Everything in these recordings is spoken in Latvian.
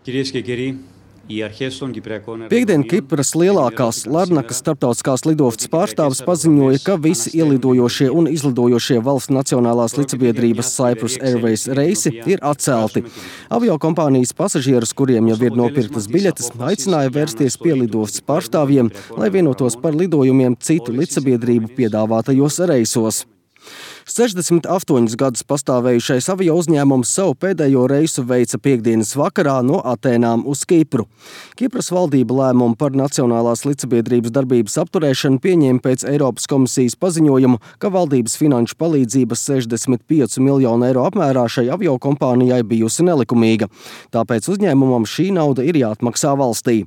Κυρίες και κύριοι, οι αρχές των Κυπριακών Piektdien Kipras lielākās Larnakas starptautiskās lidostas pārstāvis paziņoja, ka visi ielidojošie un izlidojošie valsts nacionālās līdzsabiedrības Cyprus Airways reisi ir atcelti. Aviokompānijas pasažierus, kuriem jau ir nopirktas biļetes, aicināja vērsties pie lidostas pārstāvjiem, lai vienotos par lidojumiem citu līdzsabiedrību piedāvātajos reisos. 68 gadus pastāvējušais avio uzņēmums savu pēdējo reisu veica piektdienas vakarā no Atēnām uz Kipru. Kipras valdība lēmumu par nacionālās līdzsabiedrības darbības apturēšanu pieņēma pēc Eiropas komisijas paziņojumu, ka valdības finanšu palīdzība 65 miljonu eiro apmērā šai avio kompānijai bijusi nelikumīga. Tāpēc uzņēmumam šī nauda ir jāatmaksā valstī.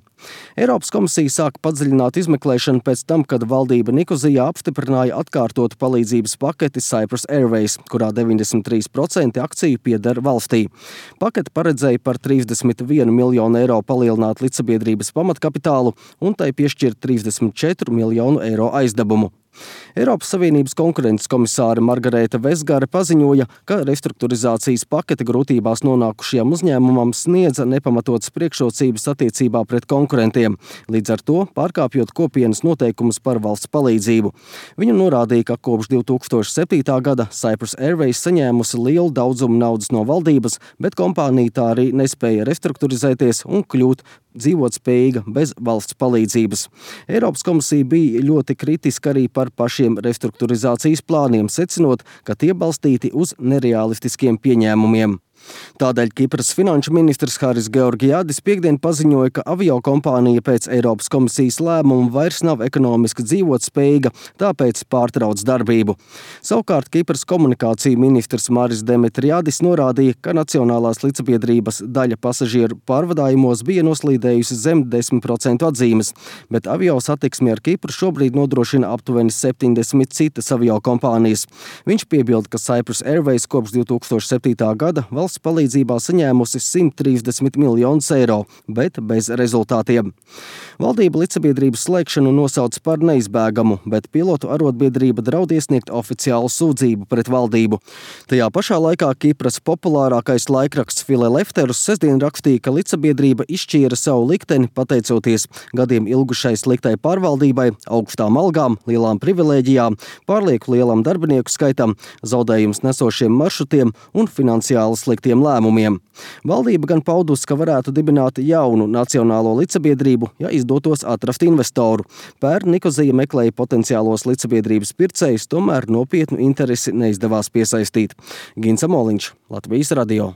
Eiropas komisija sāka padziļināt izmeklēšanu pēc tam, kad valdība Nikozijā apstiprināja atkārtotu palīdzības paketi Cyprus Airways, kurā 93% akciju pieder valstī. Paketi paredzēja par 31 miljonu eiro palielināt līdzsabiedrības pamatkapitālu un tai piešķirt 34 miljonu eiro aizdevumu. Eiropas Savienības konkurences komisāre Margarēta Vesgare paziņoja, ka restruktūrizācijas pakete grūtībās nonākušajam uzņēmumam sniedza nepamatotas priekšrocības attiecībā pret konkurentiem, līdz ar to pārkāpjot kopienas noteikumus par valsts palīdzību. Viņa norādīja, ka kopš 2007. gada Cyprus Airways saņēmusi lielu daudzumu naudas no valdības, bet kompānija tā arī nespēja restruktūrizēties un kļūt dzīvotspējīga bez valsts palīdzības. Eiropas komisija bija ļoti kritiska arī par pašiem restruktūrizācijas plāniem, secinot, ka tie balstīti uz nereālistiskiem pieņēmumiem. Tādēļ Kipras finanšu ministrs Haris Georgiadis piektdien paziņoja, ka avio kompānija pēc Eiropas komisijas lēmuma vairs nav ekonomiski dzīvotspējīga, tāpēc pārtrauc darbību. Savukārt Kipras komunikāciju ministrs Maris Demetriadis norādīja, ka nacionālās līdzsabiedrības daļa pasažieru pārvadājumos bija noslīdējusi zem 10% atzīmes, bet avio satiksmi ar Kipru šobrīd nodrošina aptuveni 70 citas avio kompānijas. Viņš piebilda, ka Cyprus Airways kopš 2007. gada valsts palīdzībā saņēmusi 130 miljonus eiro, bet bez rezultātiem. Valdība līdzsabiedrības slēgšanu nosauc par neizbēgamu, bet pilotu arotbiedrība draud iesniegt oficiālu sūdzību pret valdību. Tajā pašā laikā Kipras populārākais laikraksts Filelefterus sestdien rakstīja, ka līdzsabiedrība izšķīra savu likteni pateicoties gadiem ilgušai sliktai pārvaldībai, augstām algām, lielām privilēģijām, pārlieku lielam darbinieku skaitam, zaudējums nesošiem maršrutiem un finansiāli sliktiem lēmumiem. Valdība gan paudusi, ka varētu dibināt jaunu nacionālo līdzsabiedrību, ja izdotos atrast investoru. Pērn Nikozija meklēja potenciālos līdzsabiedrības pircējus, tomēr nopietnu interesi neizdevās piesaistīt. Gins Amoliņš, Latvijas radio.